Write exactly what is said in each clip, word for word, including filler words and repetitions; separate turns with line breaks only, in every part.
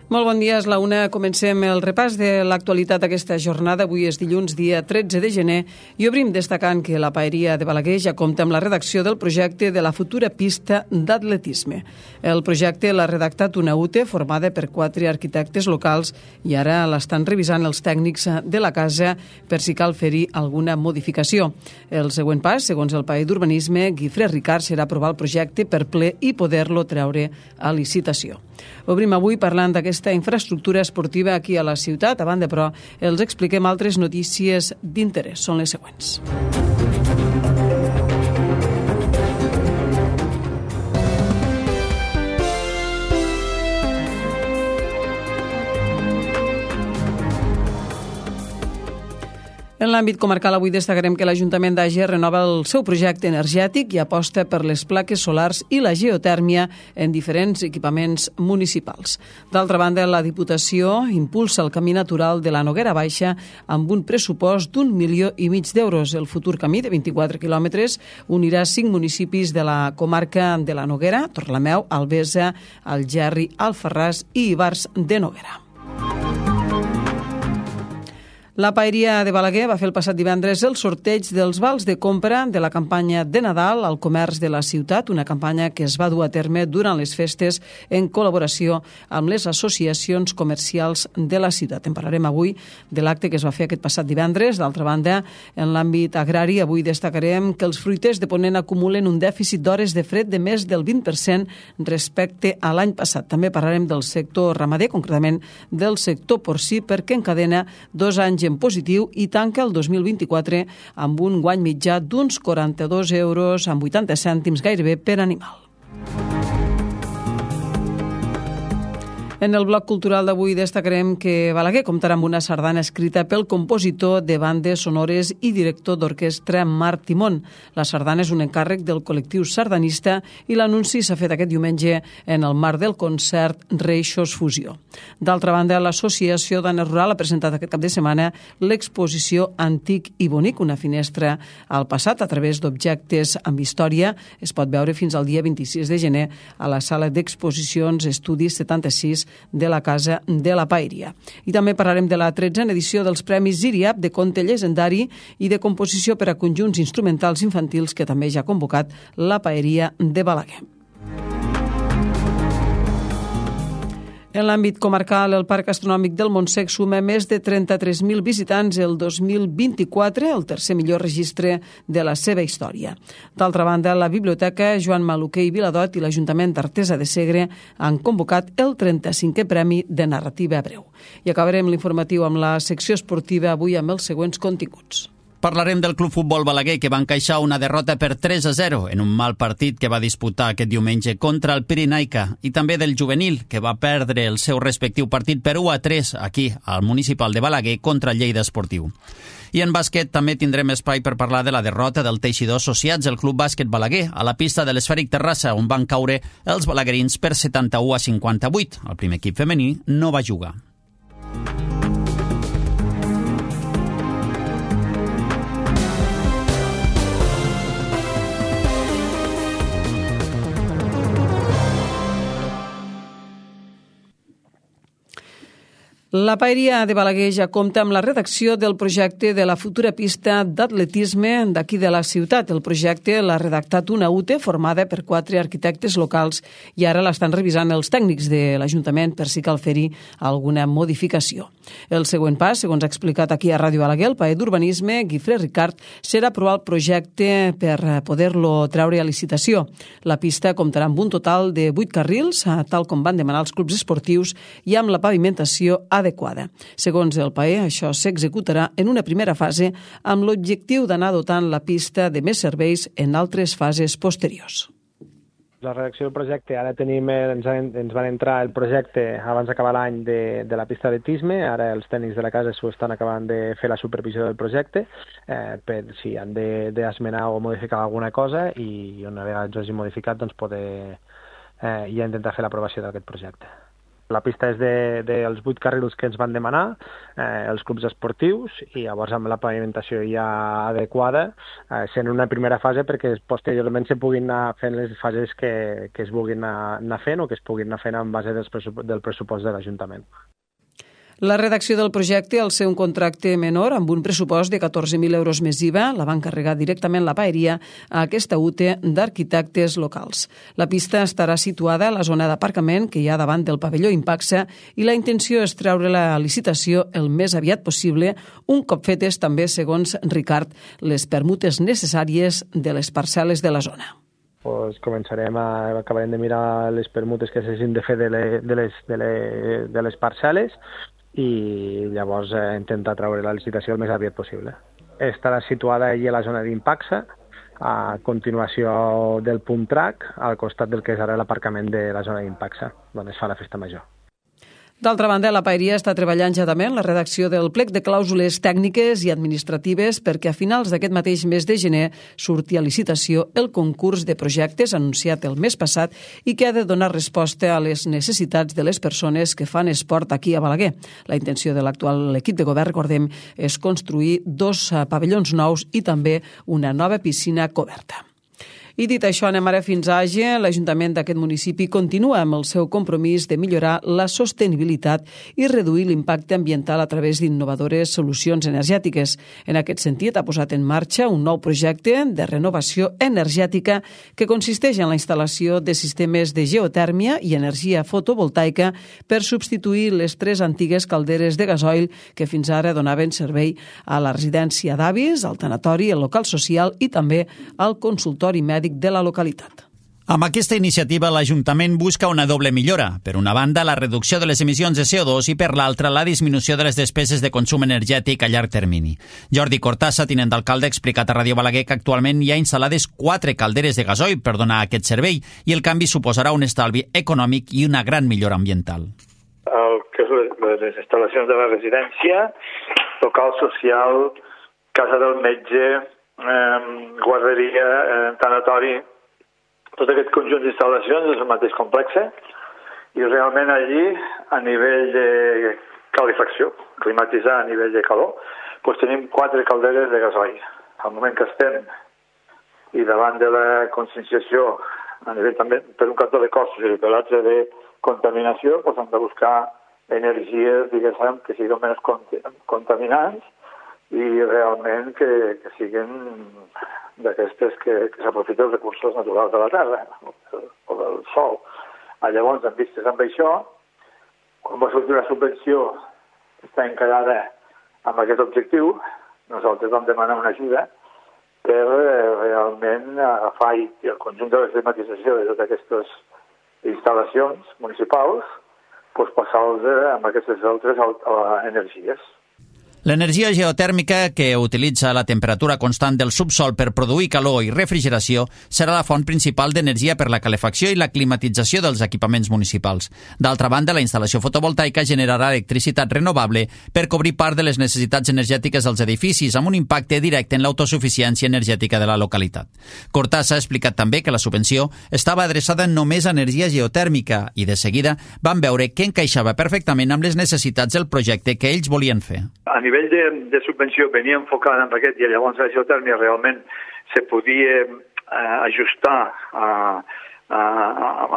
Molt bon dia, és la una. Comencem el repàs de l'actualitat d'aquesta jornada. Avui és dilluns, dia tretze de gener, i obrim destacant que la Paeria de Balaguer ja compta amb la redacció del projecte de la futura pista d'atletisme. El projecte l'ha redactat una U T E formada per quatre arquitectes locals i ara l'estan revisant els tècnics de la casa per si cal fer-hi alguna modificació. El següent pas, segons el Paer d'Urbanisme, Guifré Ricard, serà aprovar el projecte per ple i poder-lo treure a licitació. Obrim avui parlant d'aquesta infraestructura esportiva aquí a la ciutat. A banda, però, els expliquem altres notícies d'interès. Són les següents. En l'àmbit comarcal, avui destacarem que l'Ajuntament d'Àger renova el seu projecte energètic i aposta per les plaques solars i la geotèrmia en diferents equipaments municipals. D'altra banda, la Diputació impulsa el camí natural de la Noguera Baixa amb un pressupost d'un milió i mig d'euros. El futur camí de vint-i-quatre quilòmetres unirà cinc municipis de la comarca de la Noguera, Torlameu, Albesa, Algerri, Alfarràs i Ivars de Noguera. La Paeria de Balaguer va fer el passat divendres el sorteig dels vals de compra de la campanya de Nadal al comerç de la ciutat, una campanya que es va dur a terme durant les festes en col·laboració amb les associacions comercials de la ciutat. En parlarem avui de l'acte que es va fer aquest passat divendres. D'altra banda, en l'àmbit agrari, avui destacarem que els fruiters de Ponent acumulen un dèficit d'hores de fred de més del vint per cent respecte a l'any passat. També parlarem del sector ramader, concretament del sector porcí, perquè encadena dos anys en positiu i tanca el dos mil vint-i-quatre amb un guany mitjà d'uns quaranta-dos euros amb vuitanta cèntims gairebé per animal. En el bloc cultural d'avui destacarem que Balaguer comptarà amb una sardana escrita pel compositor de bandes sonores i director d'orquestra Marc Timón. La sardana és un encàrrec del col·lectiu sardanista i l'anunci s'ha fet aquest diumenge en el marc del concert Reixos Fusió. D'altra banda, l'Associació Dana Rural ha presentat aquest cap de setmana l'exposició Antic i Bonic, una finestra al passat a través d'objectes amb història. Es pot veure fins al dia vint-i-sis de gener a la sala d'exposicions Estudis setanta-sis de la Casa de la Paeria. I també parlarem de la tretzena edició dels Premis Ziriap de conte llegendari i de composició per a conjunts instrumentals infantils que també ja ha convocat la Paeria de Balaguer. En l'àmbit comarcal, el Parc Astronòmic del Montsec suma més de trenta-tres mil visitants el dos mil vint-i-quatre, el tercer millor registre de la seva història. D'altra banda, la Biblioteca Joan Maluquer i Viladot i l'Ajuntament d'Artesa de Segre han convocat el trenta-cinquè Premi de Narrativa Breu. I acabarem l'informatiu amb la secció esportiva avui amb els següents continguts.
Parlarem del Club Futbol Balaguer, que va encaixar una derrota per tres a zero en un mal partit que va disputar aquest diumenge contra el Pirinaica, i també del juvenil, que va perdre el seu respectiu partit per u a tres aquí al municipal de Balaguer contra el Lleida Esportiu. I en bàsquet també tindrem espai per parlar de la derrota del Teixidor Associats, el Club Bàsquet Balaguer, a la pista de l'Esfèric Terrassa, on van caure els balaguerins per setanta-u a cinquanta-vuit. El primer equip femení no va jugar.
La Paeria de Balaguer ja compta amb la redacció del projecte de la futura pista d'atletisme d'aquí de la ciutat. El projecte l'ha redactat una U T E formada per quatre arquitectes locals i ara l'estan revisant els tècnics de l'Ajuntament per si cal fer-hi alguna modificació. El següent pas, segons ha explicat aquí a Ràdio Balaguer, el Paer d'Urbanisme, Guifré Ricard, serà aprovar el projecte per poder-lo treure a licitació. La pista comptarà amb un total de vuit carrils, tal com van demanar els clubs esportius, i amb la pavimentació adequada. Segons el Paer, això s'executarà en una primera fase amb l'objectiu d'anar dotant la pista de més serveis en altres fases posteriors.
La redacció del projecte, ara tenim, ens, ens van entrar el projecte abans d'acabar l'any de, de la pista d'atletisme, ara els tècnics de la casa s'ho estan acabant de fer la supervisió del projecte eh, per si han d'esmenar o modificar alguna cosa i una vegada ens hagi modificat doncs poder eh, ja intentar fer l'aprovació d'aquest projecte. La pista és de, dels vuit carrils que ens van demanar, eh, els clubs esportius, i llavors amb la pavimentació ja adequada, eh, sent una primera fase perquè posteriorment se puguin anar fent les fases que, que es vulguin anar, anar fent o que es puguin anar fent en base dels pressup del pressupost de l'Ajuntament.
La redacció del projecte, al ser un contracte menor amb un pressupost de catorze mil euros més I V A, la va encarregar directament la paeria a aquesta U T E d'arquitectes locals. La pista estarà situada a la zona d'aparcament que hi ha davant del pavelló Impaxa i la intenció és treure la licitació el més aviat possible, un cop fetes també, segons Ricard, les permutes necessàries de les parcel·les de la zona.
Pues començarem a, acabarem de mirar les permutes que s'hagin de fer de, le, de, les, de, le, de les parcel·les i llavors eh, intentar treure la licitació el més aviat possible. Estarà situada allà a la zona d'Impaxa, a continuació del Pump Track, al costat del que és ara l'aparcament de la zona d'Impaxa, on es fa la festa major.
D'altra banda, la paeria està treballant ja també en la redacció del plec de clàusules tècniques i administratives perquè a finals d'aquest mateix mes de gener surti a licitació el concurs de projectes anunciat el mes passat i que ha de donar resposta a les necessitats de les persones que fan esport aquí a Balaguer. La intenció de l'actual equip de govern, recordem, és construir dos pavellons nous i també una nova piscina coberta. I dit això, anem ara fins a Àger. L'Ajuntament d'aquest municipi continua amb el seu compromís de millorar la sostenibilitat i reduir l'impacte ambiental a través d'innovadores solucions energètiques. En aquest sentit, ha posat en marxa un nou projecte de renovació energètica que consisteix en la instal·lació de sistemes de geotèrmia i energia fotovoltaica per substituir les tres antigues calderes de gasoil que fins ara donaven servei a la residència d'avis, al tanatori, al local social i també al consultori mèdic de la localitat.
Amb aquesta iniciativa, l'Ajuntament busca una doble millora. Per una banda, la reducció de les emissions de C O dos i per l'altra, la disminució de les despeses de consum energètic a llarg termini. Jordi Cortassa, tinent d'alcalde, ha explicat a Ràdio Balaguer que actualment hi ha instal·lades quatre calderes de gasoil per donar aquest servei i el canvi suposarà un estalvi econòmic i una gran millora ambiental.
El que és les instal·lacions de la residència, local social, casa del metge, eh, guarderia, eh, tanatori, tot aquest conjunt d'instal·lacions és el mateix complex i realment allí, a nivell de calefacció, climatitzar a nivell de calor, doncs tenim quatre calderes de gasoil. Al moment que estem i davant de la conscienciació, a nivell també per un cantó de costos i per l'altre de contaminació, doncs hem de buscar energies, diguéssim, que siguin menys contaminants i realment que, que siguin d'aquestes que, que s'aprofiten els recursos naturals de la terra o del sol. Llavors, en vistes amb això, quan va sortir una subvenció que està encarada amb aquest objectiu, nosaltres vam demanar una ajuda per eh, realment agafar i el conjunt de la climatització de totes aquestes instal·lacions municipals, doncs passar-los amb aquestes altres energies.
L'energia geotèrmica, que utilitza la temperatura constant del subsol per produir calor i refrigeració, serà la font principal d'energia per la calefacció i la climatització dels equipaments municipals. D'altra banda, la instal·lació fotovoltaica generarà electricitat renovable per cobrir part de les necessitats energètiques dels edificis, amb un impacte directe en l'autosuficiència energètica de la localitat. Cortassa ha explicat també que la subvenció estava adreçada només a energia geotèrmica i, de seguida, van veure que encaixava perfectament amb les necessitats del projecte que ells volien fer.
A nivell de, de subvenció venia enfocada en aquest i llavors la geotèrmia realment se podia eh, ajustar a, a, a,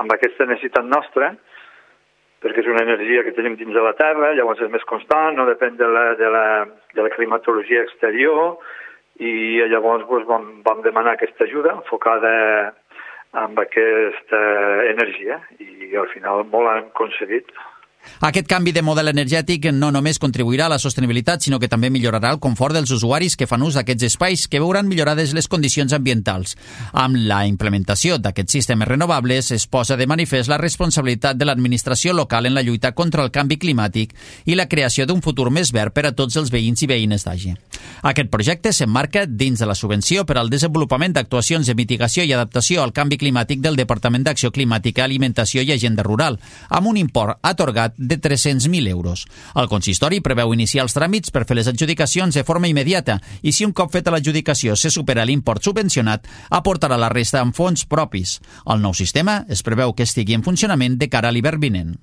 amb aquesta necessitat nostra, perquè és una energia que tenim dins de la terra, llavors és més constant, no depèn de la, de la, de la climatologia exterior, i llavors doncs, vam, vam demanar aquesta ajuda enfocada amb aquesta energia i al final molt han aconseguit.
Aquest canvi de model energètic no només contribuirà a la sostenibilitat, sinó que també millorarà el confort dels usuaris que fan ús d'aquests espais, que veuran millorades les condicions ambientals. Amb la implementació d'aquests sistemes renovables es posa de manifest la responsabilitat de l'administració local en la lluita contra el canvi climàtic i la creació d'un futur més verd per a tots els veïns i veïnes d'Àger. Aquest projecte s'emmarca dins de la subvenció per al desenvolupament d'actuacions de mitigació i adaptació al canvi climàtic del Departament d'Acció Climàtica, Alimentació i Agenda Rural, amb un import atorgat de tres-cents mil euros. El consistori preveu iniciar els tràmits per fer les adjudicacions de forma immediata i si un cop feta l'adjudicació se supera l'import subvencionat, aportarà la resta amb fons propis. El nou sistema es preveu que estigui en funcionament de cara a l'hivern vinent.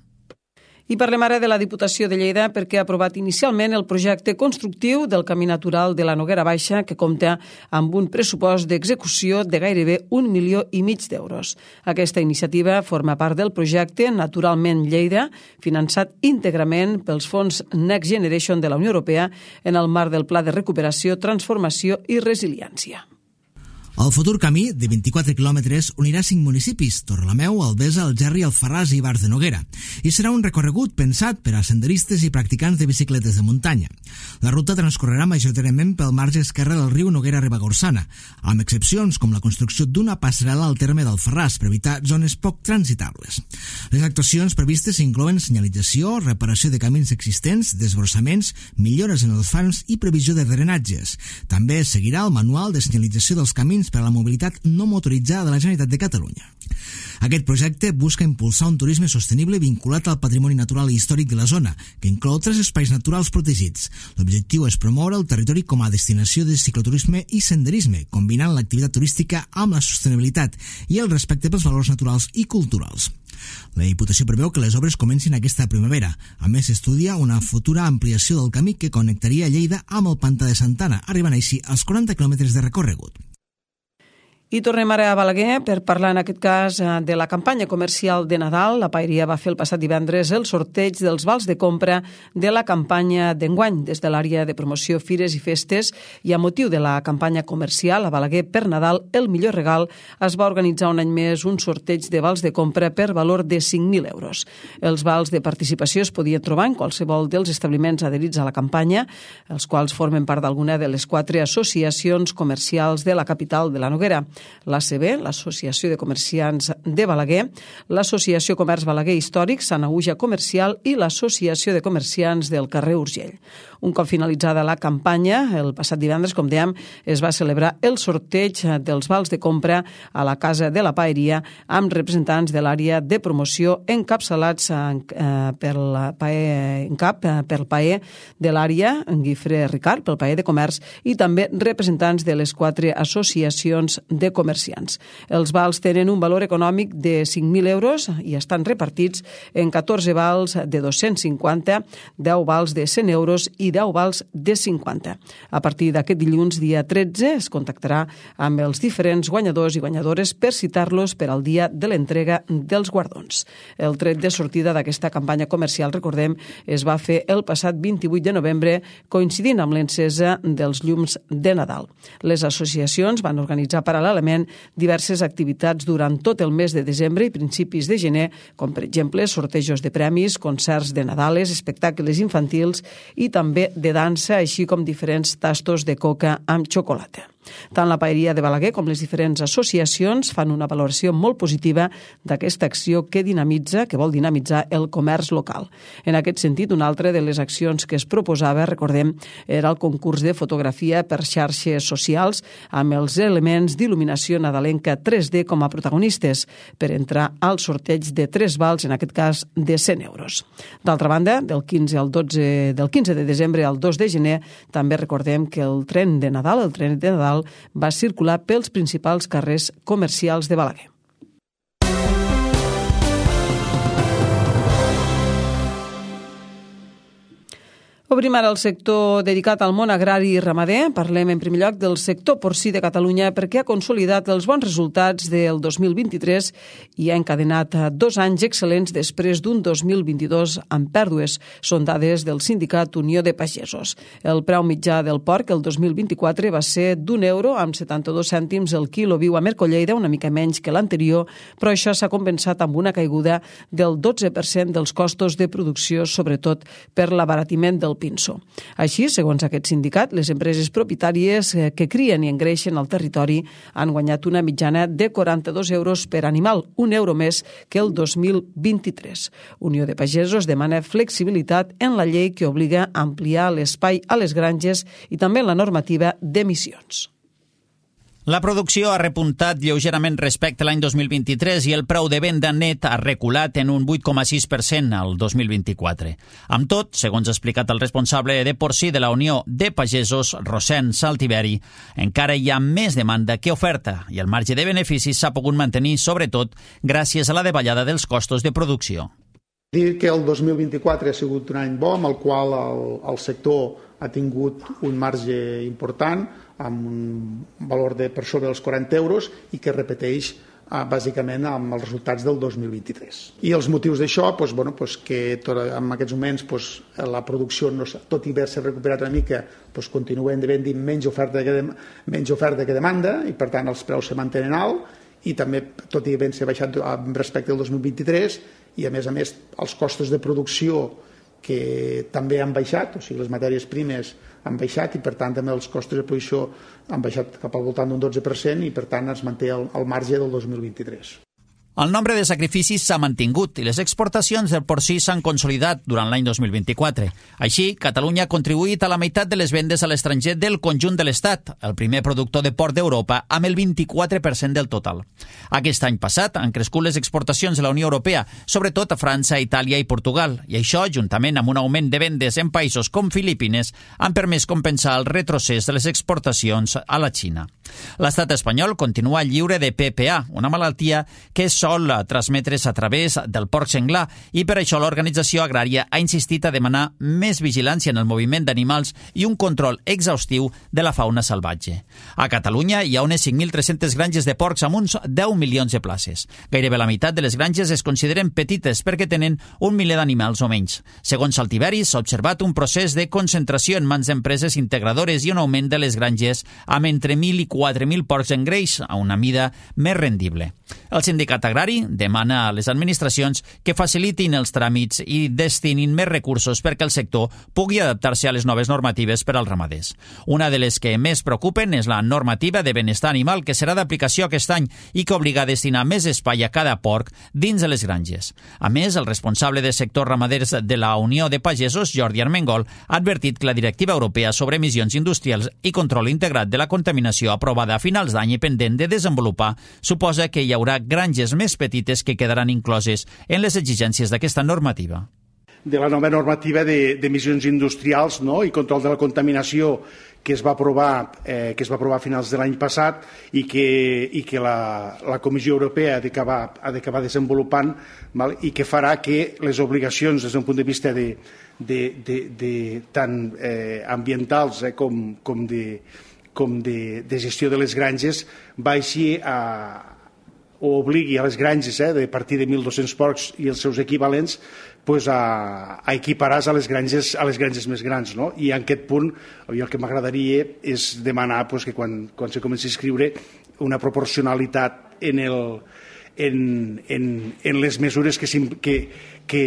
I parlem ara de la Diputació de Lleida perquè ha aprovat inicialment el projecte constructiu del Camí Natural de la Noguera Baixa, que compta amb un pressupost d'execució de gairebé un milió i mig d'euros. Aquesta iniciativa forma part del projecte Naturalment Lleida, finançat íntegrament pels fons Next Generation de la Unió Europea en el marc del Pla de Recuperació, Transformació i Resiliència.
El futur camí, de vint-i-quatre quilòmetres, unirà cinc municipis, Torrelameu, Albesa, Algerri, Alfarràs i Ibars de Noguera, i serà un recorregut pensat per a senderistes i practicants de bicicletes de muntanya. La ruta transcorrerà majoritàriament pel marge esquerre del riu Noguera-Ribagorçana, amb excepcions com la construcció d'una passarel·la al terme d'Alfarràs per evitar zones poc transitables. Les actuacions previstes inclouen senyalització, reparació de camins existents, desbrossaments, millores en els fans i previsió de drenatges. També seguirà el manual de senyalització dels camins per a la mobilitat no motoritzada de la Generalitat de Catalunya. Aquest projecte busca impulsar un turisme sostenible vinculat al patrimoni natural i històric de la zona, que inclou tres espais naturals protegits. L'objectiu és promoure el territori com a destinació de cicloturisme i senderisme, combinant l'activitat turística amb la sostenibilitat i el respecte pels valors naturals i culturals. La Diputació preveu que les obres comencin aquesta primavera. A més, s'estudia una futura ampliació del camí que connectaria Lleida amb el Pantà de Santana, arribant així als quaranta quilòmetres de recorregut.
I tornem ara a Balaguer per parlar en aquest cas de la campanya comercial de Nadal. La Paeria va fer el passat divendres el sorteig dels vals de compra de la campanya d'enguany des de l'àrea de promoció Fires i Festes, i a motiu de la campanya comercial a Balaguer per Nadal, el millor regal, es va organitzar un any més un sorteig de vals de compra per valor de cinc mil euros. Els vals de participació es podien trobar en qualsevol dels establiments adherits a la campanya, els quals formen part d'alguna de les quatre associacions comercials de la capital de la Noguera: l'A C B, l'Associació de Comerciants de Balaguer, l'Associació Comerç Balaguer Històric, Sanaüja Comercial i l'Associació de Comerciants del carrer Urgell. Un cop finalitzada la campanya, el passat divendres, com dèiem, es va celebrar el sorteig dels vals de compra a la Casa de la Paeria amb representants de l'àrea de promoció encapçalats per la PAE, en cap per el PAE de l'àrea, en Guifré Ricard, pel PAE de Comerç, i també representants de les quatre associacions de comerciants. Els vals tenen un valor econòmic de cinc mil euros i estan repartits en catorze vals de dos-cents cinquanta, deu vals de cent euros i deu vals de cinquanta. A partir d'aquest dilluns, dia tretze, es contactarà amb els diferents guanyadors i guanyadores per citar-los per al dia de l'entrega dels guardons. El tret de sortida d'aquesta campanya comercial, recordem, es va fer el passat vint-i-vuit de novembre, coincidint amb l'encesa dels llums de Nadal. Les associacions van organitzar paral·lelament diverses activitats durant tot el mes de desembre i principis de gener, com per exemple sortejos de premis, concerts de Nadales, espectacles infantils i també de dansa, així com diferents tastos de coca amb xocolata. Tant la Paeria de Balaguer com les diferents associacions fan una valoració molt positiva d'aquesta acció que dinamitza, que vol dinamitzar el comerç local. En aquest sentit, una altra de les accions que es proposava, recordem, era el concurs de fotografia per xarxes socials amb els elements d'il·luminació nadalenca tres D com a protagonistes per entrar al sorteig de tres vals, en aquest cas de cent euros. D'altra banda, del quinze al dotze, del quinze de desembre al dos de gener, també recordem que el tren de Nadal, el tren de Nadal, va circular pels principals carrers comercials de Balaguer. Obrim ara el sector dedicat al món agrari i ramader. Parlem en primer lloc del sector porcí de Catalunya perquè ha consolidat els bons resultats del dos mil vint-i-tres i ha encadenat dos anys excel·lents després d'un dos mil vint-i-dos amb pèrdues. Són dades del sindicat Unió de Pagesos. El preu mitjà del porc el dos mil vint-i-quatre va ser d'un euro amb setanta-dos cèntims el quilo viu a Mercolleida, una mica menys que l'anterior, però això s'ha compensat amb una caiguda del dotze per cent dels costos de producció, sobretot per l'abaratiment del pinso. Així, segons aquest sindicat, les empreses propietàries que crien i engreixen al territori han guanyat una mitjana de quaranta-dos euros per animal, un euro més que el dos mil vint-i-tres. Unió de Pagesos demana flexibilitat en la llei que obliga a ampliar l'espai a les granges i també en la normativa d'emissions.
La producció ha repuntat lleugerament respecte a l'any dos mil vint-i-tres i el preu de venda net ha reculat en un vuit coma sis per cent al dos mil vint-i-quatre. Amb tot, segons ha explicat el responsable de porcí de la Unió de Pagesos, Rosén Saltiveri, encara hi ha més demanda que oferta i el marge de beneficis s'ha pogut mantenir, sobretot, gràcies a la davallada dels costos de producció.
Dir que el dos mil vint-i-quatre ha sigut un any bo amb el qual el, el sector ha tingut un marge important amb un valor de per sobre dels quaranta euros i que repeteix eh, bàsicament amb els resultats del dos mil vint-i-tres. I els motius d'això, doncs, bueno, doncs que tot, en aquests moments doncs, la producció, no, tot i haver-se recuperat una mica, doncs, continuen havent-hi menys oferta, que, menys oferta que demanda i per tant els preus se mantenen alt i també tot i havent-se baixat respecte al dos mil vint-i-tres i a més a més els costos de producció que també han baixat, o sigui les matèries primes han baixat i per tant també els costos de producció han baixat cap al voltant d'un dotze per cent i per tant es manté el, el marge del dos mil vint-i-tres.
El nombre de sacrificis s'ha mantingut i les exportacions del porcí s'han consolidat durant l'any dos mil vint-i-quatre. Així, Catalunya ha contribuït a la meitat de les vendes a l'estranger del conjunt de l'Estat, el primer productor de porc d'Europa, amb el vint-i-quatre per cent del total. Aquest any passat han crescut les exportacions de la Unió Europea, sobretot a França, Itàlia i Portugal, i això, juntament amb un augment de vendes en països com Filipines, han permès compensar el retrocés de les exportacions a la Xina. L'estat espanyol continua lliure de P P A, una malaltia que és sol transmetre's a través del porc senglar i per això l'organització agrària ha insistit a demanar més vigilància en el moviment d'animals i un control exhaustiu de la fauna salvatge. A Catalunya hi ha unes cinc mil tres-centes granges de porcs amb uns deu milions de places. Gairebé la meitat de les granges es consideren petites perquè tenen un miler d'animals o menys. Segons Saltiveris, s'ha observat un procés de concentració en mans d'empreses integradores i un augment de les granges amb entre mil i quatre mil porcs en greix a una mida més rendible. El sindicat agrari demana a les administracions que facilitin els tràmits i destinin més recursos perquè el sector pugui adaptar-se a les noves normatives per als ramaders. Una de les que més preocupen és la normativa de benestar animal que serà d'aplicació aquest any i que obliga a destinar més espai a cada porc dins de les granges. A més, el responsable de sectors ramaders de la Unió de Pagesos, Jordi Armengol, ha advertit que la directiva europea sobre emissions industrials i control integrat de la contaminació aprovada a finals d'any i pendent de desenvolupar suposa que hi haurà granges més petites que quedaran incloses en les exigències d'aquesta normativa.
De la nova normativa d'emissions industrials, no?, i control de la contaminació que es va aprovar, eh, que es va aprovar a finals de l'any passat i que, i que la, la Comissió Europea ha d'acabar ha d'acabar desenvolupant, val? I que farà que les obligacions des d'un punt de vista de, de, de, de tant eh, ambientals eh, com, com, de, com de, de gestió de les granges baixi a o obligui a les granges eh, de partir de mil dos-cents porcs i els seus equivalents pues, a, a equiparar a les granges a les granges més grans. No? I en aquest punt jo el que m'agradaria és demanar pues, que quan, quan se comenci a escriure una proporcionalitat en, el, en, en, en les mesures que, que, que,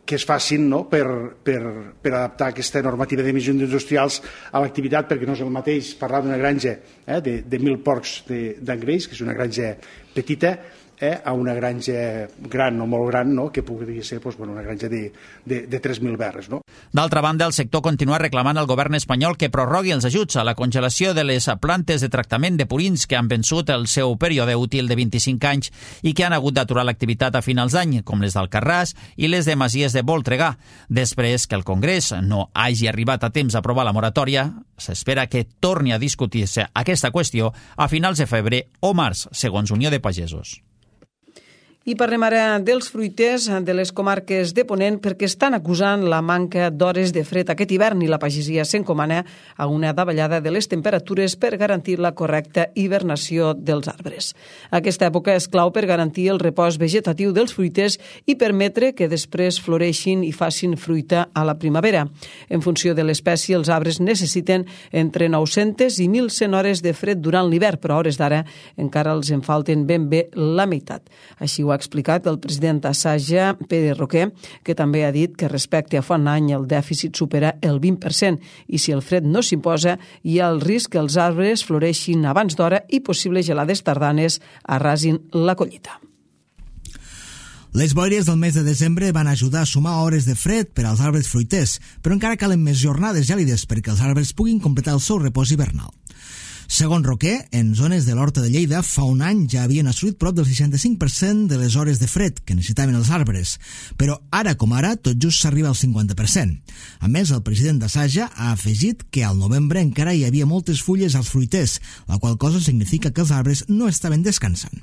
que es facin no? per, per, per adaptar aquesta normativa d'emissions industrials a l'activitat, perquè no és el mateix parlar d'una granja eh, de, de mil porcs d'engreix, que és una granja petita, eh, a una granja gran o molt gran, no? que podria ser doncs, bueno, una granja de, de, de tres mil berres. No?
D'altra banda, el sector continua reclamant al govern espanyol que prorrogui els ajuts a la congelació de les plantes de tractament de purins que han vençut el seu període útil de vint-i-cinc anys i que han hagut d'aturar l'activitat a finals d'any, com les d'Alcarràs i les de Masies de Voltregà. Després que el Congrés no hagi arribat a temps a aprovar la moratòria, s'espera que torni a discutir-se aquesta qüestió a finals de febrer o març, segons Unió de Pagesos.
I parlem ara dels fruiters de les comarques de Ponent perquè estan acusant la manca d'hores de fred aquest hivern i la pagesia s'encomana a una davallada de les temperatures per garantir la correcta hibernació dels arbres. Aquesta època és clau per garantir el repòs vegetatiu dels fruiters i permetre que després floreixin i facin fruita a la primavera. En funció de l'espècie, els arbres necessiten entre nou-centes i mil cent hores de fred durant l'hivern, però a hores d'ara encara els en falten ben bé la meitat. Així ho ha explicat el president d'Assaja, Pere Roquer, que també ha dit que respecte a fa un any el dèficit supera el vint per cent i si el fred no s'imposa hi ha el risc que els arbres floreixin abans d'hora i possibles gelades tardanes arrasin la collita.
Les boires del mes de desembre van ajudar a sumar hores de fred per als arbres fruiters, però encara calen més jornades gèlides perquè els arbres puguin completar el seu repòs hivernal. Segons Roquer, en zones de l'Horta de Lleida fa un any ja havien assolit prop del seixanta-cinc per cent de les hores de fred que necessitaven els arbres, però ara com ara tot just s'arriba al cinquanta per cent. A més, el president d'Assaja ha afegit que al novembre encara hi havia moltes fulles als fruiters, la qual cosa significa que els arbres no estaven descansant.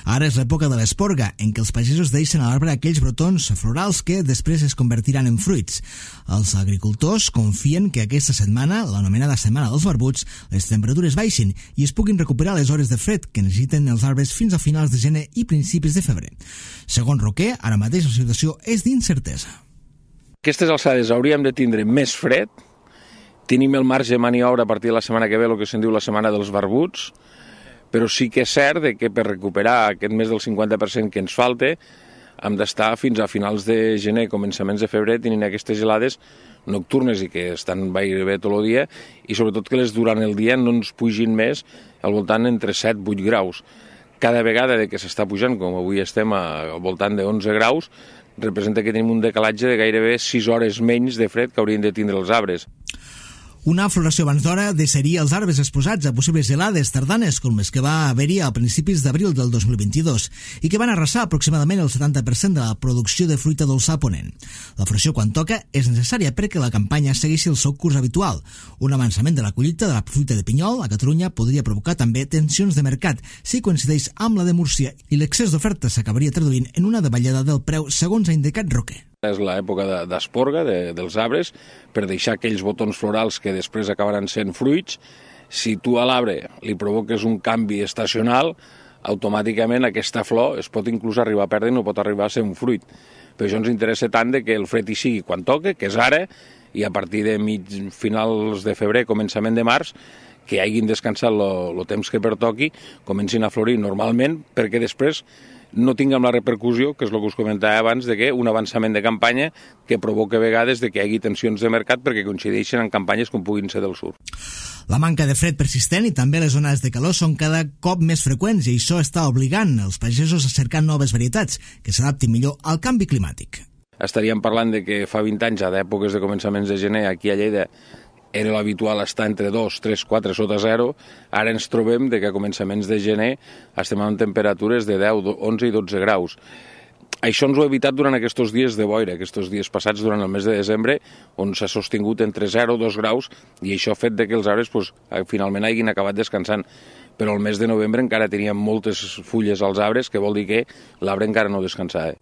Ara és l'època de l'esporga, en què els pagesos deixen a l'arbre aquells brotons florals que després es convertiran en fruits. Els agricultors confien que aquesta setmana, l'anomenada Setmana dels Barbuts, les temperatures baixin i es puguin recuperar les hores de fred que necessiten els arbres fins a finals de gener i principis de febrer. Segons Roquer, ara mateix la situació és d'incertesa.
Aquestes alçades hauríem de tindre més fred, tenim el marge de maniobra a partir de la setmana que ve, el que se'n diu la Setmana dels Barbuts, però sí que és cert que per recuperar aquest més del cinquanta per cent que ens falta hem d'estar fins a finals de gener, començaments de febrer, tenint aquestes gelades nocturnes i que estan gairebé tot el dia i sobretot que les durant el dia no ens pugin més al voltant entre set i vuit graus. Cada vegada que s'està pujant, com avui estem al voltant de onze graus, representa que tenim un decalatge de gairebé sis hores menys de fred que haurien de tindre els arbres.
Una floració abans d'hora deixaria els arbres exposats a possibles gelades tardanes com les que va haver-hi a principis d'abril del dos mil vint-i-dos i que van arrasar aproximadament el setanta per cent de la producció de fruita dolça a Ponent. La floració, quan toca, és necessària perquè la campanya segueixi el seu curs habitual. Un avançament de la collita de la fruita de pinyol a Catalunya podria provocar també tensions de mercat si coincideix amb la de Múrcia i l'excés d'oferta s'acabaria traduint en una davallada del preu, segons ha indicat Roquer.
És l'època d'esporga de, dels arbres per deixar aquells botons florals que després acabaran sent fruits. Si tu a l'arbre li provoques un canvi estacional, automàticament aquesta flor es pot inclús arribar a perdre i no pot arribar a ser un fruit. Per això ens interessa tant de que el fred hi sigui quan toque, que és ara, i a partir de mig, finals de febrer, començament de març, que hagin descansat el temps que pertoqui, comencin a florir normalment, perquè després no tinguem la repercussió, que és el que us comentava abans, de que un avançament de campanya que provoca a vegades de que hi hagi tensions de mercat perquè coincideixen en campanyes com puguin ser del sud.
La manca de fred persistent i també les onades de calor són cada cop més freqüents i això està obligant els pagesos a cercar noves varietats que s'adaptin millor al canvi climàtic.
Estaríem parlant de que fa vint anys, a d'èpoques de començaments de gener, aquí a Lleida, era l'habitual estar entre dos, tres, quatre sota zero, ara ens trobem de que a començaments de gener estem amb temperatures de deu, onze i dotze graus. Això ens ho ha evitat durant aquests dies de boira, aquests dies passats durant el mes de desembre, on s'ha sostingut entre zero i dos graus, i això ha fet de que els arbres pues, finalment hagin acabat descansant. Però el mes de novembre encara teníem moltes fulles als arbres, que vol dir que l'arbre encara no descansava.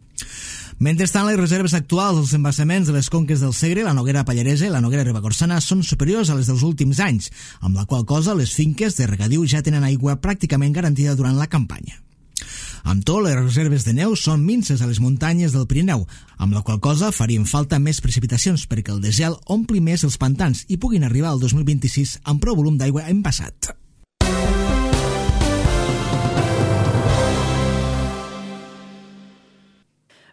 Mentrestant, les reserves actuals dels embassaments de les conques del Segre, la Noguera Pallaresa i la Noguera Ribagorçana són superiors a les dels últims anys, amb la qual cosa les finques de regadiu ja tenen aigua pràcticament garantida durant la campanya. Amb tot, les reserves de neu són minces a les muntanyes del Pirineu, amb la qual cosa farien falta més precipitacions perquè el desgel ompli més els pantans i puguin arribar al dos mil vint-i-sis amb prou volum d'aigua embassat.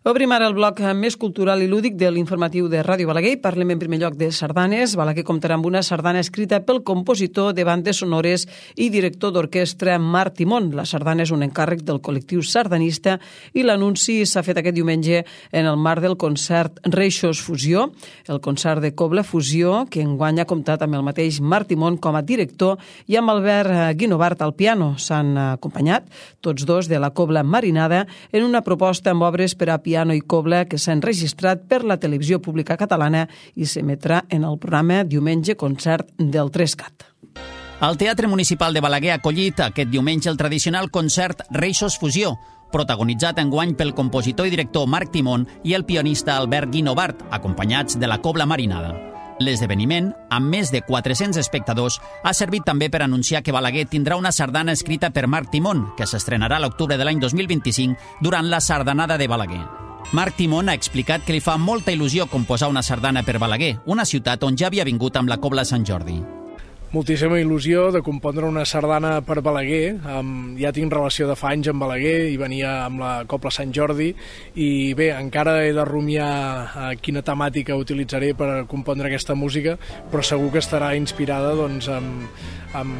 Obrim ara el bloc més cultural i lúdic de l'informatiu de Ràdio Balaguer i parlem en primer lloc de sardanes. Balaguer comptarà amb una sardana escrita pel compositor de bandes sonores i director d'orquestra Marc Timón. La sardana és un encàrrec del col·lectiu sardanista i l'anunci s'ha fet aquest diumenge en el marc del concert Reixos Fusió, el concert de Cobla Fusió, que enguany ha comptat amb el mateix Marc Timón com a director i amb Albert Guinovart al piano. S'han acompanyat tots dos de la Cobla Marinada en una proposta amb obres per a piano i cobla que s'ha enregistrat per la televisió pública catalana i s'emetrà en el programa Diumenge Concert del Trescat.
El Teatre Municipal de Balaguer ha acollit aquest diumenge el tradicional concert Reixos Fusió, protagonitzat enguany pel compositor i director Marc Timón i el pianista Albert Guinovart, acompanyats de la Cobla Marinada. L'esdeveniment, amb més de quatre-cents espectadors, ha servit també per anunciar que Balaguer tindrà una sardana escrita per Marc Timón, que s'estrenarà a l'octubre de l'any dos mil vint-i-cinc durant la Sardanada de Balaguer. Marc Timón ha explicat que li fa molta il·lusió composar una sardana per Balaguer, una ciutat on ja havia vingut amb la Cobla Sant Jordi.
Moltíssima il·lusió de compondre una sardana per Balaguer. Um, ja tinc relació de fa anys amb Balaguer i venia amb la Cobla Sant Jordi i bé, encara he de rumiar uh, quina temàtica utilitzaré per compondre aquesta música, però segur que estarà inspirada doncs, amb, amb,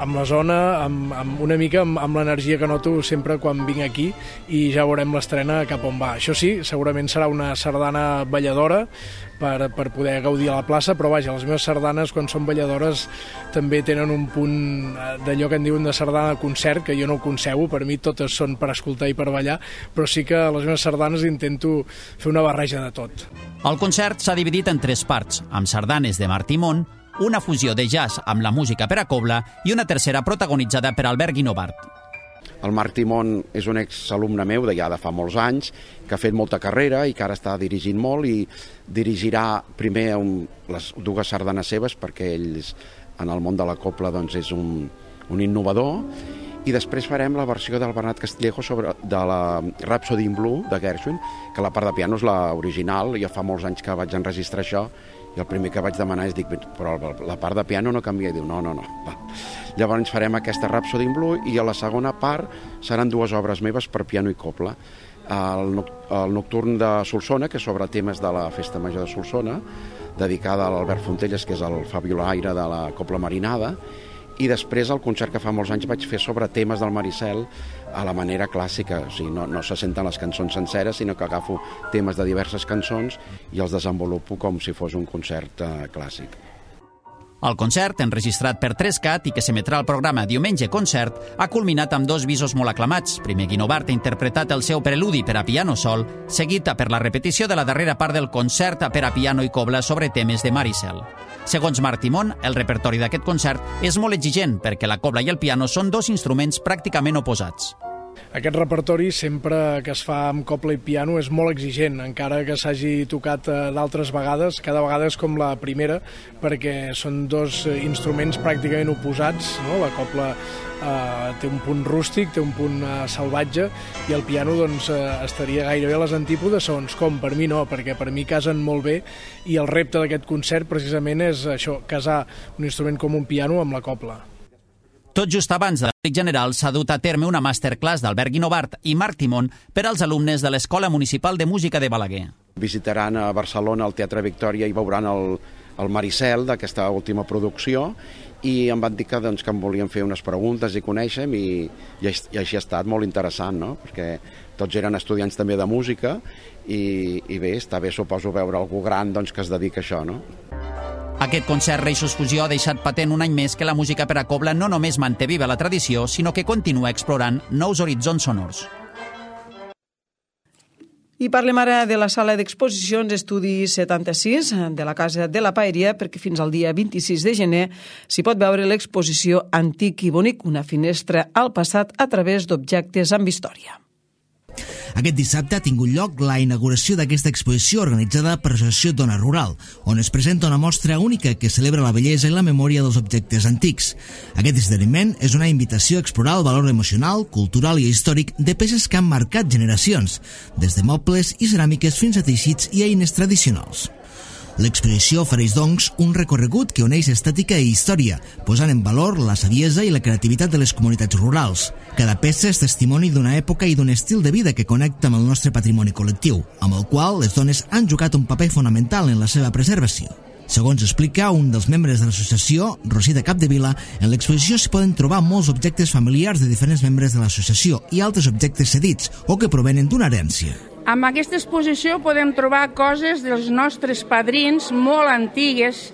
amb la zona, amb, amb una mica amb, amb l'energia que noto sempre quan vinc aquí i ja veurem l'estrena cap on va. Això sí, segurament serà una sardana balladora per, per poder gaudir a la plaça, però vaja, les meves sardanes quan són balladores també tenen un punt d'allò que en diuen de sardana de concert, que jo no ho concebo, per mi totes són per escoltar i per ballar, però sí que a les meves sardanes intento fer una barreja de tot.
El concert s'ha dividit en tres parts, amb sardanes de Marc Timón, una fusió de jazz amb la música per a cobla i una tercera protagonitzada per Albert Guinovart.
El Marc Timón és un exalumne meu de ja de fa molts anys, que ha fet molta carrera i que ara està dirigint molt i dirigirà primer un, les dues sardanes seves, perquè ell en el món de la copla doncs, és un, un innovador, i després farem la versió del Bernat Castillejo sobre, de la Rhapsody in Blue de Gershwin, que la part de piano és l'original. Jo fa molts anys que vaig enregistrar això i el primer que vaig demanar és, dic, però la part de piano no canvia. I diu, no, no, no. Va. Llavors farem aquesta Rhapsody in Blue i a la segona part seran dues obres meves per piano i copla. El, el Nocturn de Solsona, que és sobre temes de la Festa Major de Solsona, dedicada a l'Albert Fontelles, que és el fabiolaire de la copla marinada, i després el concert que fa molts anys vaig fer sobre temes del Maricel a la manera clàssica, o sigui, no, no se senten les cançons senceres, sinó que agafo temes de diverses cançons i els desenvolupo com si fos un concert eh, clàssic.
El concert, enregistrat per tres cat i que s'emetrà al programa Diumenge Concert, ha culminat amb dos visos molt aclamats. Primer, Guinovart ha interpretat el seu preludi per a piano sol, seguit per la repetició de la darrera part del concert per a piano i cobla sobre temes de Maricel. Segons Marc Timón, el repertori d'aquest concert és molt exigent perquè la cobla i el piano són dos instruments pràcticament oposats.
Aquest repertori, sempre que es fa amb copla i piano, és molt exigent, encara que s'hagi tocat d'altres vegades. Cada vegada és com la primera, perquè són dos instruments pràcticament oposats, no? La copla eh, té un punt rústic, té un punt eh, salvatge, i el piano doncs, eh, estaria gairebé a les antípodes, segons com. Per mi no, perquè per mi casen molt bé, i el repte d'aquest concert precisament és això, casar un instrument com un piano amb la copla.
Tot just abans de l'Àctic General s'ha dut a terme una masterclass d'Albert Guinovart i Marc Timón per als alumnes de l'Escola Municipal de Música de Balaguer.
Visitaran a Barcelona el Teatre Victòria i veuran el, el Maricel d'aquesta última producció i em van dir que, doncs, que em volien fer unes preguntes i conèixer-me i, i, i així ha estat molt interessant, no? Perquè tots eren estudiants també de música i, i bé, està bé, suposo, veure algú gran doncs, que es dedica a això, no?
Aquest concert Reixos Fusió ha deixat patent un any més que la música per a cobla no només manté viva la tradició, sinó que continua explorant nous horitzons sonors.
I parlem ara de la sala d'exposicions Estudi setanta-sis de la Casa de la Paeria, perquè fins al dia vint-i-sis de gener s'hi pot veure l'exposició Antic i Bonic, una finestra al passat a través d'objectes amb història.
Aquest dissabte ha tingut lloc la inauguració d'aquesta exposició organitzada per l'Associació Dona Rural, on es presenta una mostra única que celebra la bellesa i la memòria dels objectes antics. Aquest esdeveniment és una invitació a explorar el valor emocional, cultural i històric de peces que han marcat generacions, des de mobles i ceràmiques fins a teixits i eines tradicionals. L'exposició ofereix, doncs, un recorregut que uneix estètica i història, posant en valor la saviesa i la creativitat de les comunitats rurals. Cada peça és testimoni d'una època i d'un estil de vida que connecta amb el nostre patrimoni col·lectiu, amb el qual les dones han jugat un paper fonamental en la seva preservació. Segons explica un dels membres de l'associació, Rosita Capdevila, en l'exposició s'hi poden trobar molts objectes familiars de diferents membres de l'associació i altres objectes cedits o que provenen d'una herència.
Amb aquesta exposició podem trobar coses dels nostres padrins molt antigues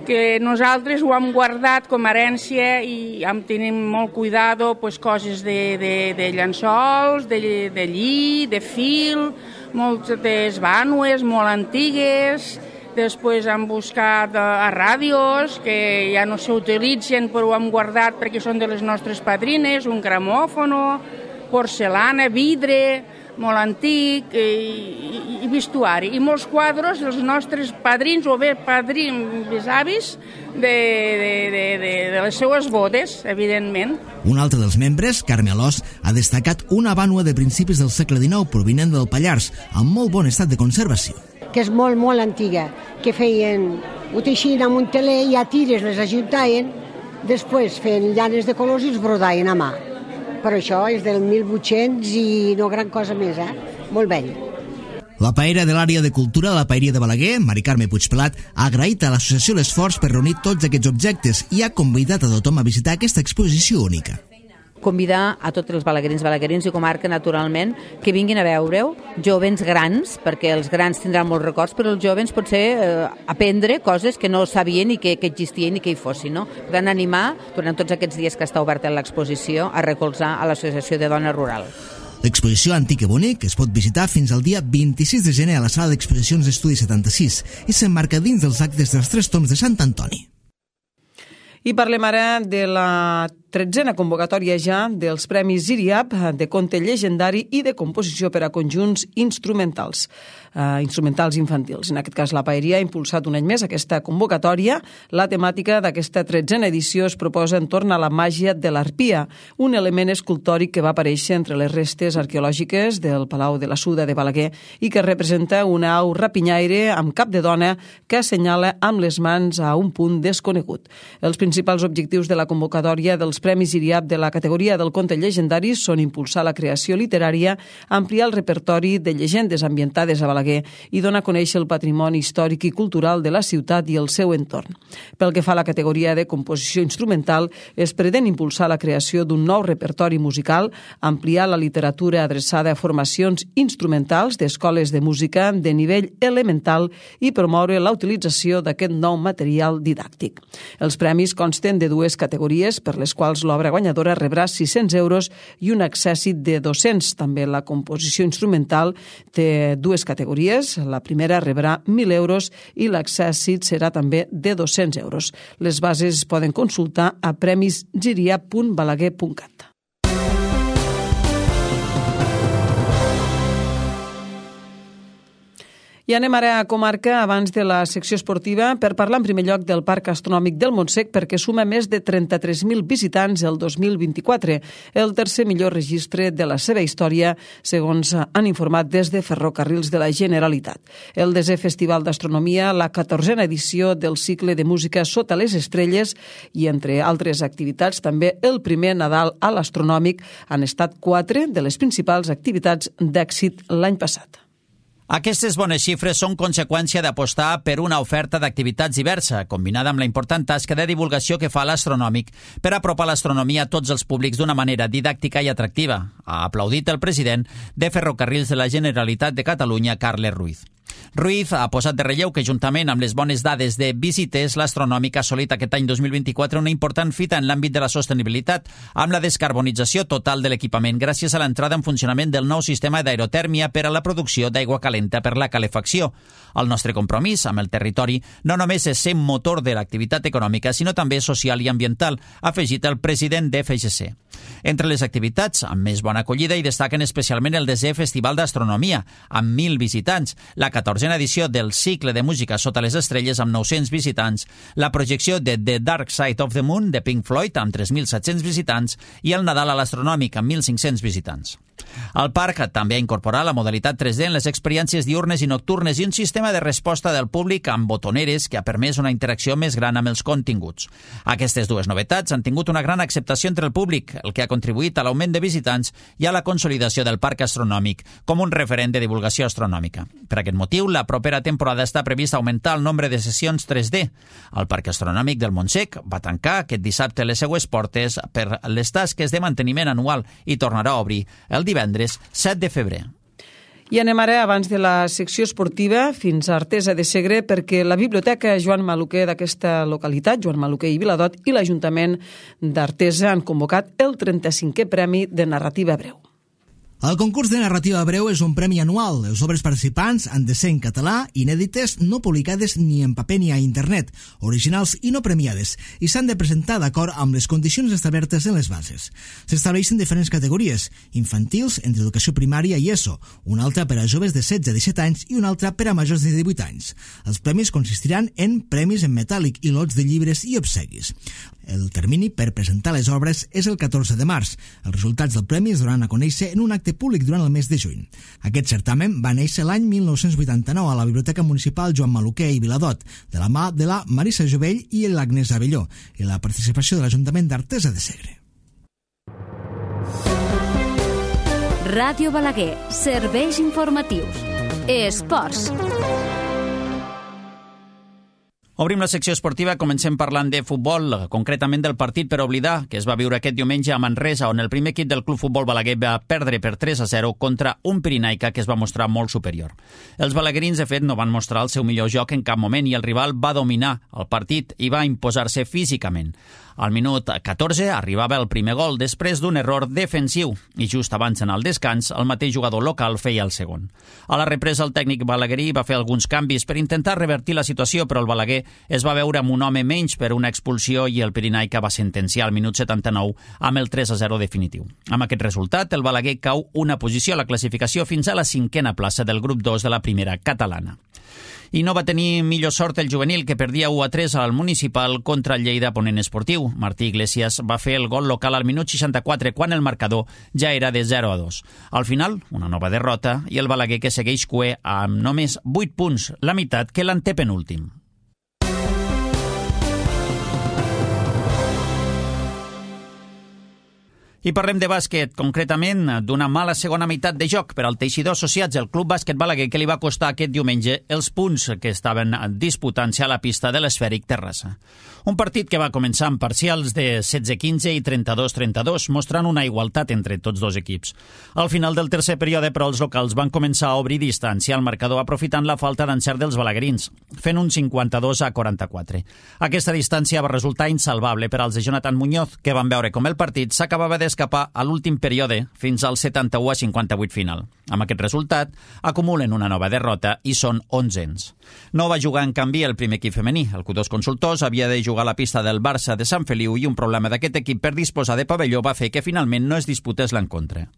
que nosaltres ho hem guardat com a herència i hem tenim molt cuidado, pues, coses de, de, de llençols, de, de lli, de fil, moltes vànues molt antigues. Després hem buscat a ràdios que ja no s'utilitzen però ho hem guardat perquè són de les nostres padrines, un gramòfono, porcelana, vidre, molt antic, i, i, i vestuari, i molts quadros dels nostres padrins o bé padrins besavis de, de, de, de, de les seues bodes, evidentment.
Un altre dels membres, Carme Alòs, ha destacat una vànua de principis del segle dinou provinent del Pallars, amb molt bon estat de conservació.
Que és molt, molt antiga, que feien, ho teixien amb un teler i a tires les ajuntaven, després feien llanes de colors i els brodaven a mà. Però això és del mil vuit-cents i no gran cosa més, eh? Molt vell.
La paera de l'àrea de cultura de la Paeria de Balaguer, Mari Carme Puigpelat, ha agraït a l'associació l'esforç per reunir tots aquests objectes i ha convidat a tothom a visitar aquesta exposició única.
Convidar a tots els balaguerins, balaguerins i comarca, naturalment, que vinguin a veure-ho, jovens grans, perquè els grans tindran molts records, però els jovens potser eh, aprendre coses que no sabien i que, que existien i que hi fossin, no? Per tant, animar, durant tots aquests dies que està oberta l'exposició, a recolzar a l'Associació de Dona Rural.
L'exposició Antic i Bonic es pot visitar fins al dia vint-i-sis de gener a la sala d'exposicions d'Estudi setanta-sis i s'emmarca dins dels actes dels Tres Tombs de Sant Antoni.
I parlem ara de la tretzena convocatòria ja dels Premis Ziriap de conte llegendari i de composició per a conjunts instrumentals, eh, instrumentals infantils. En aquest cas, la Paeria ha impulsat un any més aquesta convocatòria. La temàtica d'aquesta tretzena edició es proposa entorn a la màgia de l'arpia, un element escultòric que va aparèixer entre les restes arqueològiques del Palau de la Suda de Balaguer i que representa una au rapinyaire amb cap de dona que assenyala amb les mans a un punt desconegut. Els principals objectius de la convocatòria dels Premis Ziriap de la categoria del conte llegendari són impulsar la creació literària, ampliar el repertori de llegendes ambientades a Balaguer i donar a conèixer el patrimoni històric i cultural de la ciutat i el seu entorn. Pel que fa a la categoria de composició instrumental, es pretén impulsar la creació d'un nou repertori musical, ampliar la literatura adreçada a formacions instrumentals d'escoles de música de nivell elemental i promoure la utilització d'aquest nou material didàctic. Els premis consten de dues categories, per les quals l'obra guanyadora rebrà sis-cents euros i un accèssit de dos-cents. També la composició instrumental té dues categories. La primera rebrà mil euros i l'accèssit serà també de dos-cents euros. Les bases es poden consultar a premis ziriap punt balaguer punt cat. I anem ara a comarca abans de la secció esportiva per parlar en primer lloc del Parc Astronòmic del Montsec perquè suma més de trenta-tres mil visitants el dos mil vint-i-quatre, el tercer millor registre de la seva història, segons han informat des de Ferrocarrils de la Generalitat. El desè Festival d'Astronomia, la catorzena edició del cicle de música Sota les Estrelles i, entre altres activitats, també el primer Nadal a l'Astronòmic han estat quatre de les principals activitats d'èxit l'any passat.
Aquestes bones xifres són conseqüència d'apostar per una oferta d'activitats diversa, combinada amb la important tasca de divulgació que fa l'Astronòmic per apropar l'astronomia a tots els públics d'una manera didàctica i atractiva, ha aplaudit el president de Ferrocarrils de la Generalitat de Catalunya, Carles Ruiz. Ruiz ha posat de relleu que, juntament amb les bones dades de visites, l'Astronòmic ha assolit aquest any dos mil vint-i-quatre una important fita en l'àmbit de la sostenibilitat, amb la descarbonització total de l'equipament gràcies a l'entrada en funcionament del nou sistema d'aerotèrmia per a la producció d'aigua calenta per la calefacció. El nostre compromís amb el territori no només és ser motor de l'activitat econòmica, sinó també social i ambiental, ha afegit el president de F G C. Entre les activitats amb més bona acollida hi destaquen especialment el desè Festival d'Astronomia, amb mil visitants, la catorzena edició del cicle de música Sota les Estrelles amb nou-cents visitants, la projecció de The Dark Side of the Moon de Pink Floyd amb tres mil set-cents visitants i el Nadal a l'Astronòmic amb mil cinc-cents visitants. El parc també ha incorporat la modalitat tres D en les experiències diurnes i nocturnes i un sistema de resposta del públic amb botoneres que ha permès una interacció més gran amb els continguts. Aquestes dues novetats han tingut una gran acceptació entre el públic, el que ha contribuït a l'augment de visitants i a la consolidació del parc astronòmic com un referent de divulgació astronòmica. Per aquest motiu, la propera temporada està prevista augmentar el nombre de sessions tres D. El Parc Astronòmic del Montsec va tancar aquest dissabte les seues portes per les tasques de manteniment anual i tornarà a obrir el divendres set de febrer.
I anem ara, abans de la secció esportiva, fins a Artesa de Segre, perquè la Biblioteca Joan Maluquer d'aquesta localitat, Joan Maluquer i Viladot, i l'Ajuntament d'Artesa han convocat el trenta-cinquè Premi de Narrativa Breu.
El concurs de narrativa breu és un premi anual. Les obres participants han de ser en català, inèdites, no publicades ni en paper ni a internet, originals i no premiades, i s'han de presentar d'acord amb les condicions establertes en les bases. S'estableixen diferents categories: infantils, entre educació primària i ESO, una altra per a joves de setze a disset anys i una altra per a majors de divuit anys. Els premis consistiran en premis en metàl·lic i lots de llibres i obsequis. El termini per presentar les obres és el catorze de març. Els resultats del premi es donaran a conèixer en un acte públic durant el mes de juny. Aquest certamen va néixer l'any mil nou-cents vuitanta-nou a la Biblioteca Municipal Joan Maluquer i Viladot, de la mà de la Marisa Jovell i l'Agnès Abelló, i la participació de l'Ajuntament d'Artesa de Segre.
Ràdio Balaguer, serveis informatius. Esports.
Obrim la secció esportiva, comencem parlant de futbol, concretament del partit per oblidar, que es va viure aquest diumenge a Manresa, on el primer equip del Club Futbol Balaguer va perdre per tres a zero contra un Pirinaica que es va mostrar molt superior. Els balaguerins, de fet, no van mostrar el seu millor joc en cap moment i el rival va dominar el partit i va imposar-se físicament. Al minut catorze arribava el primer gol després d'un error defensiu i just abans en el descans el mateix jugador local feia el segon. A la represa el tècnic balaguerí va fer alguns canvis per intentar revertir la situació, però el Balaguer es va veure amb un home menys per una expulsió i el Pirinaica va sentenciar al minut setanta-nou amb el tres a zero definitiu. Amb aquest resultat, el Balaguer cau una posició a la classificació fins a la cinquena plaça del grup dos de la primera catalana. I no va tenir millor sort el juvenil, que perdia u a tres al municipal contra el Lleida Ponent Esportiu. Martí Iglesias va fer el gol local al minut seixanta-quatre, quan el marcador ja era de zero a dos. Al final, una nova derrota i el Balaguer, que segueix cuer amb només vuit punts, la meitat que l'antepenúltim. I parlem de bàsquet, concretament d'una mala segona meitat de joc per al Teixidor Associats, el Club Bàsquet Balaguer, que li va costar aquest diumenge els punts que estaven disputant-se a la pista de l'Esfèric Terrassa. Un partit que va començar amb parcials de setze quinze i trenta-dos trenta-dos, mostrant una igualtat entre tots dos equips. Al final del tercer període, però, els locals van començar a obrir distància al marcador, aprofitant la falta d'encert dels balaguerins, fent un cinquanta-dos a quaranta-quatre. Aquesta distància va resultar insalvable per als de Jonathan Muñoz, que van veure com el partit s'acabava d'escapar a l'últim període fins al setanta-u a cinquanta-vuit final. Amb aquest resultat, acumulen una nova derrota i són onzens. No va jugar, en canvi, el primer equip femení. El Q dos Consultors havia de jugar a la pista del Barça de Sant Feliu i un problema d'aquest equip per disposar de pavelló va fer que finalment no es disputés l'encontre.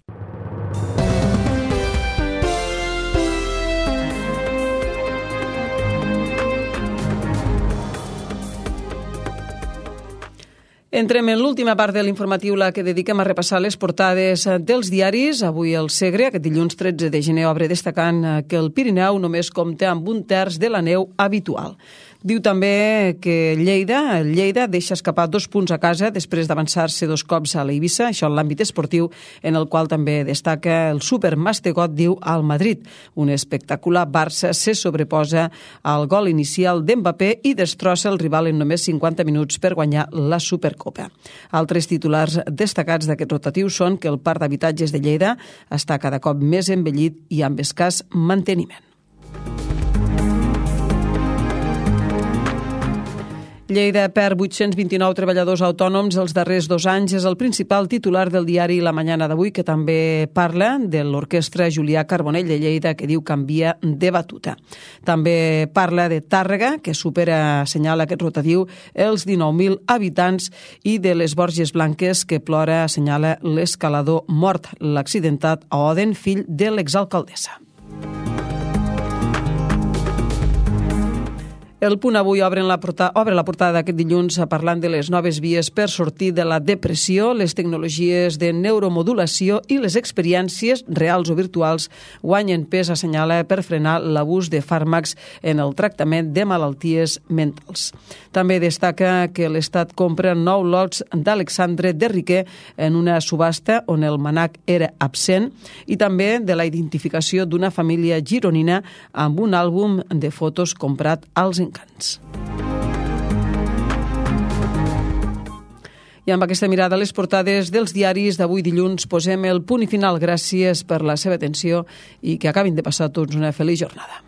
Entrem en l'última part de l'informatiu, la que dediquem a repassar les portades dels diaris. Avui el Segre, aquest dilluns tretze de gener, obre destacant que el Pirineu només compta amb un terç de la neu habitual. Diu també que Lleida, Lleida deixa escapar dos punts a casa després d'avançar-se dos cops a l'Eivissa, això en l'àmbit esportiu, en el qual també destaca el supermastegot, diu, al Madrid. Un espectacular Barça se sobreposa al gol inicial d'Mbappé i destrossa el rival en només cinquanta minuts per guanyar la Supercopa. Altres titulars destacats d'aquest rotatiu són que el parc d'habitatges de Lleida està cada cop més envellit i amb escàs manteniment. Lleida perd vuit-cents vint-i-nou treballadors autònoms els darrers dos anys. És el principal titular del diari La Mañana d'avui, que també parla de l'orquestra Julià Carbonell de Lleida, que diu canvia de batuta. També parla de Tàrrega, que supera, assenyala aquest rotatiu, els dinou mil habitants, i de les Borges Blanques, que plora, assenyala l'escalador mort, l'accidentat a Oden, fill de l'exalcaldessa. El Punt Avui obre la portada, obre la portada d'aquest dilluns parlant de les noves vies per sortir de la depressió, les tecnologies de neuromodulació i les experiències reals o virtuals guanyen pes, assenyala, per frenar l'abús de fàrmacs en el tractament de malalties mentals. També destaca que l'Estat compra nou lots d'Alexandre de Riquer en una subhasta on el manac era absent, i també de la identificació d'una família gironina amb un àlbum de fotos comprat als encants. I amb aquesta mirada a les portades dels diaris d'avui dilluns posem el punt i final. Gràcies per la seva atenció i que acabin de passar tots una feliç jornada.